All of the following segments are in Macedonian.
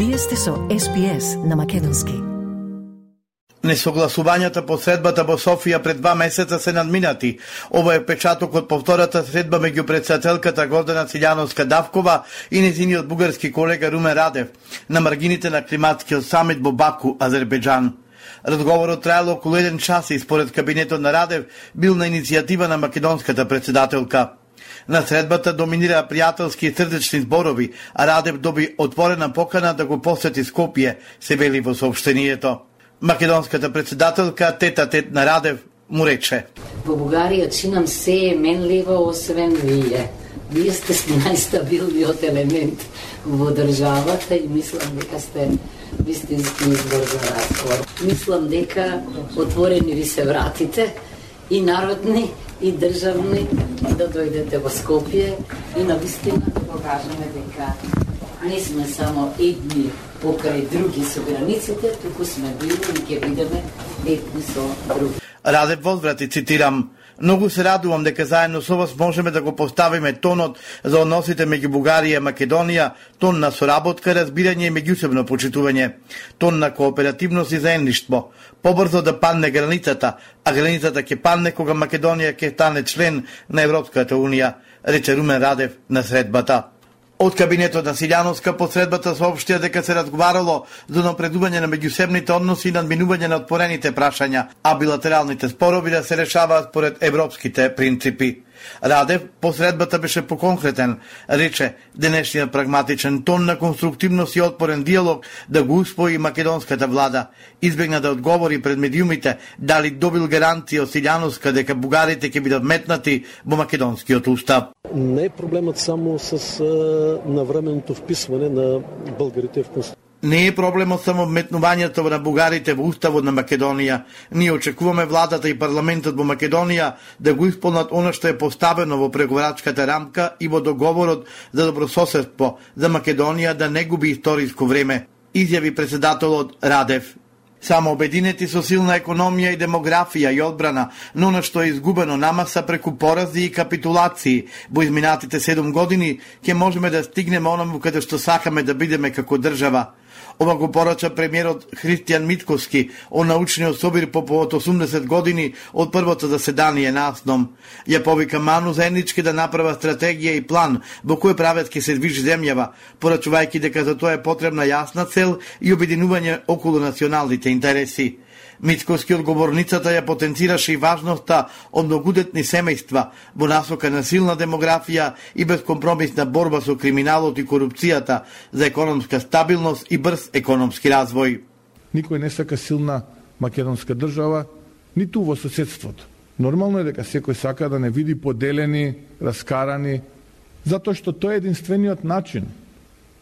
Вие сте со SPS на македонски. Несогласувањата по средбата во Софија пред 2 месеца се надминати. Ова е печаток од повтората средба меѓу председателката Гордана Силјановска-Давкова и нејзиниот бугарски колега Румен Радев на маргините на климатскиот самит во Баку, Азербејџан. Разговорот траело околу 1 час и според кабинетот на Радев бил на иницијатива на македонската председателка. На средбата доминира пријателски и срдечни зборови, а Радев доби отворена покана да го посети Скопје, се вели во соопштението. Македонската председателка тет-а-тет на Радев му рече: Во Бугарија чинам се е менливо освен вие. Вие сте најстабилниот елемент во државата и мислам дека сте вистински избор за разговор. Мислам дека отворени ви се вратите и народни и државни да дојдете во Скопје и навистина да покажеме дека не сме само едни покрај други со границите, туку сме били и ќе бидеме едни со други. Радев возврати, цитирам: Многу се радувам дека заедно со вас можеме да го поставиме тонот за односите меѓу Бугарија и Македонија, тон на соработка, разбирање и меѓусебно почитување, тон на кооперативност и заедништво. Побрзо да падне границата, а границата ќе падне кога Македонија ќе стане член на Европската унија, рече Румен Радев на средбата. Од кабинетот на Силјановска по средбата соопштија дека се разговарало за напредување на меѓусебните односи и надминување на отворените прашања, а билатералните спорови да се решаваат според европските принципи. Радев по средбата беше поконкретен, рече денешниот прагматичен тон на конструктивност и отпорен диалог да го усвои македонската влада. Избегна да одговори пред медиумите дали добил гарантија од Силјановска дека бугарите ќе бидат метнати во македонскиот устав. Не е проблемот само с навременото вписване на българите в Конституција. Не е проблемот само метнувањето на бугарите во уставот на Македонија. Ние очекуваме владата и парламентот во Македонија да го исполнат она што е поставено во преговарачката рамка и во договорот за добрососедство за Македонија да не губи историско време, изјави председателот Радев. Само обединети со силна економија и демографија и одбрана, но она што е изгубено намаса преку порази и капитулации во изминатите 7 години, ќе можеме да стигнеме онаму каде што сакаме да бидеме како држава. Ова го порача премиерот Христијан Митковски, он научниот собир по повод 80 години од првото заседание на АСНОМ. Ја повика ману заеднички да направа стратегија и план во кој правец ќе се движи земјава, порачувајќи дека за тоа е потребна јасна цел и обединување околу националните интереси. Митковски од говорницата ја потенцираше и важноста од многудетни семејства во насока на силна демографија и безкомпромисна борба со криминалот и корупцијата за економска стабилност и брз економски развој. Никој не сака силна македонска држава, ниту во соседството. Нормално е дека секој сака да не види поделени, раскарани, затоа што тоа е единствениот начин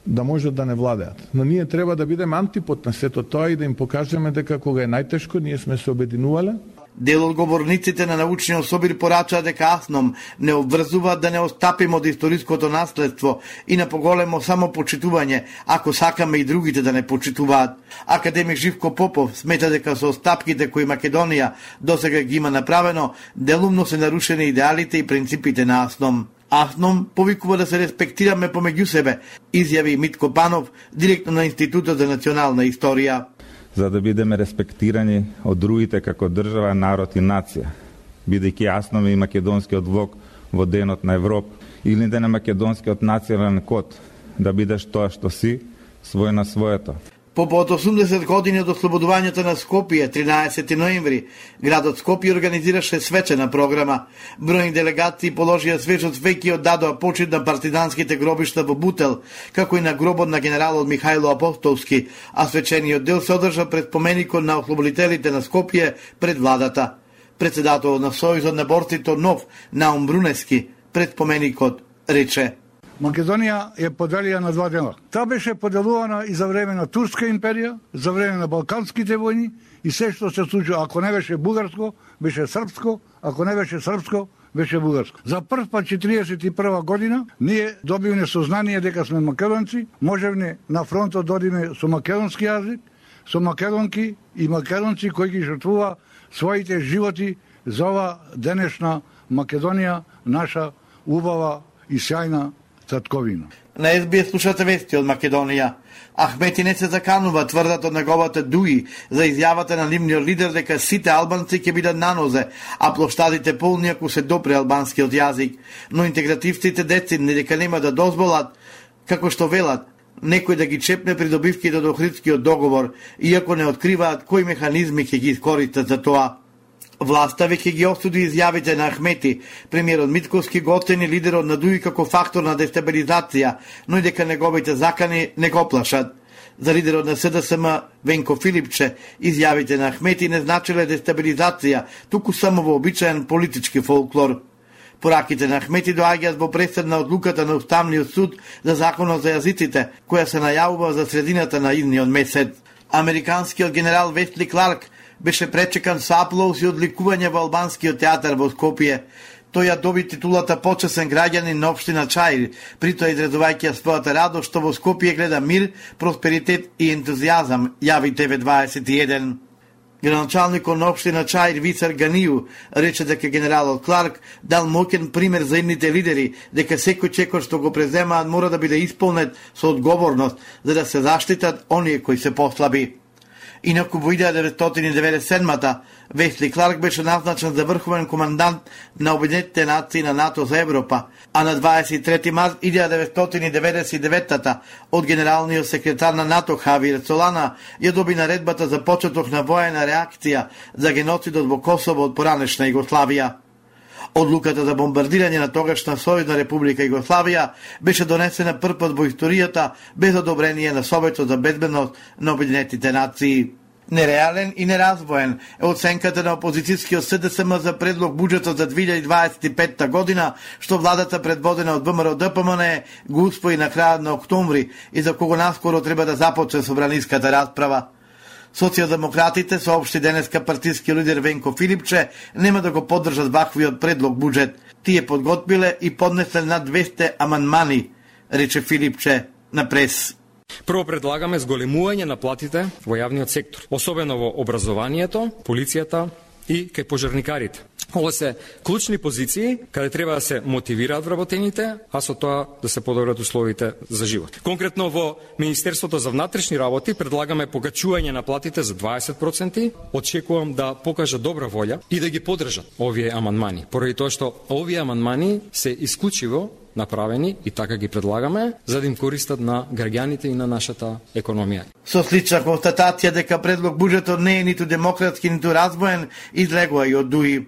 да можат да не владеат. Но ние треба да бидеме антипод на сето тоа и да им покажеме дека кога е најтешко, ние сме се обединувале. Дел од говорниците на научниот собир порачаа дека АСНОМ не обврзува да не остапиме од историското наследство и на поголемо самопочитување, ако сакаме и другите да не почитуваат. Академик Живко Попов смета дека со остапките кои Македонија досега ги има направено, делумно се нарушени идеалите и принципите на АСНОМ. АСНОМ повикува да се респектираме помеѓу себе, изјави Митко Панов, директор на Институтот за национална историја. За да бидеме респектирани од другите како држава, народ и нација, бидејќи АСНОМ и македонскиот влог во денот на Европа, или да на македонскиот национален код, да бидеш тоа што си, свој на своето. По 80 години од ослободувањето на Скопје, 13 ноември, градот Скопје организираше свечена програма. Бројни делегации положија свежот веќе оддадоа почит на партизанските гробишта во Бутел, како и на гробот на генералот Михајло Апостолски, а свечениот дел се одржа пред споменикот на ослободителите на Скопје пред владата. Председателот на Сојузот на борците нов, Наум Брунески, пред споменикот рече: Македонија е поделија на 2 дела. Таа беше поделувана и за време на Турска империја, за време на Балканските војни и се што се случува, ако не беше бугарско, беше српско, ако не беше српско, беше бугарско. За прв пат 41 година ние добивме сознание дека сме македонци, можевме на фронтот да одиме со македонски јазик, со македонки и македонци кои ги жртвува своите животи за ова денешна Македонија, наша убава и сјајна татковина. На СБС слушате вести од Македонија. Ахмети не се заканува, тврдат од неговата ДУИ за изјавата на нивниот лидер дека сите албанци ќе бидат на нозе, а плоштадите полни ако се допре албанскиот јазик. Но интегративците децидни дека нема да дозволат, како што велат, некој да ги чепне придобивките од Охридскиот договор, иако не откриваат кои механизми ќе ги искористат за тоа. Власта веќе ги осуди изјавите на Ахмети, премиерот Митковски го оцени лидерот на ДУИ како фактор на дестабилизација, но и дека неговите закани не го плашат. За лидерот на СДСМ Венко Филипче, изјавите на Ахмети не значеле дестабилизација, туку само вообичаен политички фолклор. Пораките на Ахмети доаѓаат во пресед на одлуката на Уставниот суд за законот за јазиците, која се најавува за средината на идниот месец. Американскиот генерал Весли Кларк беше пречекан со аплауз и одликување во албанскиот театар во Скопје. Тој ја доби титулата почесен граѓанин на општина Чаир, при тоа изразувајќи својата радост што во Скопје гледа мир, просперитет и ентузијазам, јави TV21. Градоначалникот на општина Чаир Висар Ганију рече дека генералот Кларк дал моќен пример за идните лидери, дека секој чекор што го преземаат мора да биде исполнет со одговорност, за да се заштитат оние кои се послаби. Инаку во 1997-та Весли Кларк беше назначен за врховен командант на Обединетите нации на НАТО за Европа, а на 23 март 1999-та од генералниот секретар на НАТО Хавиер Солана ја доби наредбата за почеток на воена реакција за геноцидот во Косово од поранешна Југославија. Одлуката за бомбардирање на тогашна Сојузна република Југославија беше донесена прв пат во историјата без одобрение на Советот за безбедност на Обединетите нации. Нереален и неразвоен е оценката на опозицијскиот СДСМ за предлог буџетот за 2025 година, што владата предводена од ВМРО-ДПМН го усвои на крајот на октомври и за кого наскоро треба да започне собраниската расправа. Социјалдемократите соопшти денеска партиски лидер Венко Филипче нема да го поддржат ваквиот предлог буџет. Тие подготвиле и поднесле над 200 амандмани, рече Филипче на прес. Прво предлагаме зголемување на платите во јавниот сектор, особено во образованието, полицијата и кај пожарникарите. Ова се клучни позиции каде треба да се мотивираат вработените, а со тоа да се подобрат условите за живот. Конкретно во Министерството за внатрешни работи предлагаме покачување на платите за 20%. Очекувам да покажат добра волја и да ги поддржат овие амандмани, поради тоа што овие амандмани се исклучиво направени и така ги предлагаме за да им користат на граѓаните и на нашата економија. Со слична констатација дека предлог буџетот не е ниту демократски, ниту развоен, излегува и од ДУИ.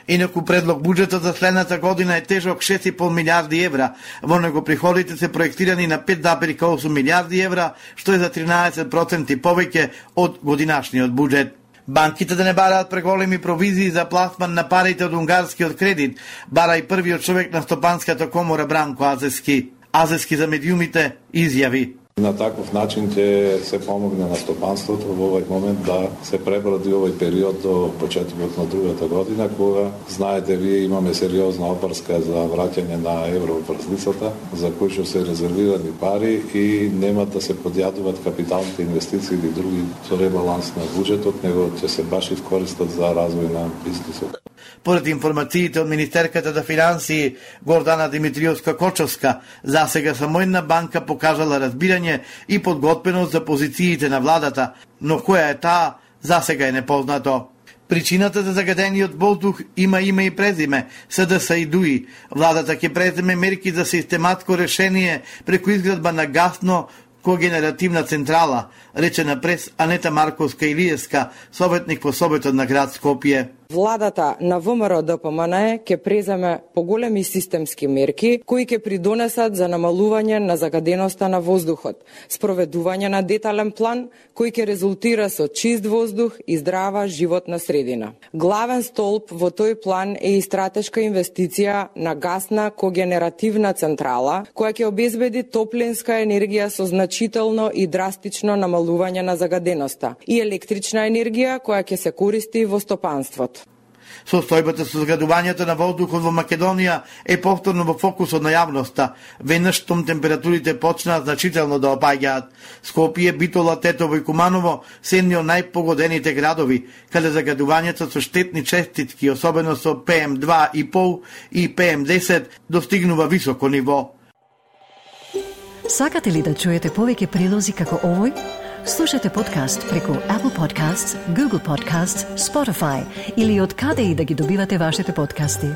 Инаку предлог буџетот за следната година е тежок 6,5 милиарди евра. Во него приходите се проектирани на 5,8 милиарди евра, што е за 13% повеќе од годинашниот буџет. Банките да не бараат преголеми провизии за пласман на парите од унгарскиот кредит, бара и првиот човек на Стопанската комора Бранко Азески. Азески за медиумите изјави: На таков начин ќе се помогне на стопанството во овој момент да се преброди овој период до почетокот на другата година, кога, знаете, вие имаме сериозна опрска за враќање на евроврзницата, за кои што се резервирани пари и нема да се подјадуваат капиталните инвестиции или други со ребаланс на буџетот, него ќе се баш искористат за развој на бизнисот. Поред информациите од Министерката за финансии Гордана Димитриевска-Кочовска, засега само една банка покажала разбирање и подготвеност за позициите на владата, но која е таа, засега е непознато. Причината за загадениот воздух има име и презиме, СДС и ДУИ. Владата ќе преземе мерки за систематско решение преку изградба на гасно когенеративна централа, рече на прес Анета Марковска-Илиевска, советник по Советот на град Скопје. Владата на ВМРО-ДПМН ќе преземе поголеми системски мерки кои ќе придонесат за намалување на загаденоста на воздухот, спроведување на детален план кој ќе резултира со чист воздух и здрава животна средина. Главен столб во тој план е и стратешка инвестиција на гасна когенеративна централа која ќе обезбеди топлинска енергија со значително и драстично намалување на загаденоста и електрична енергија која ќе се користи во стопанството. Состојбата со загадувањето на воздухот во Македонија е повторно во фокусот на јавноста, веднаш штом температурите почнаа значително да опаѓаат. Скопје, Битола, Тетово и Куманово се едни од најпогодените градови, каде загадувањето со штетни честички, особено со PM2,5 и PM10, достигнува високо ниво. Сакате ли да чуете повеќе прилози како овој? Слушате подкаст преку Apple Podcasts, Google Podcasts, Spotify или од каде и да ги добивате вашите подкасти.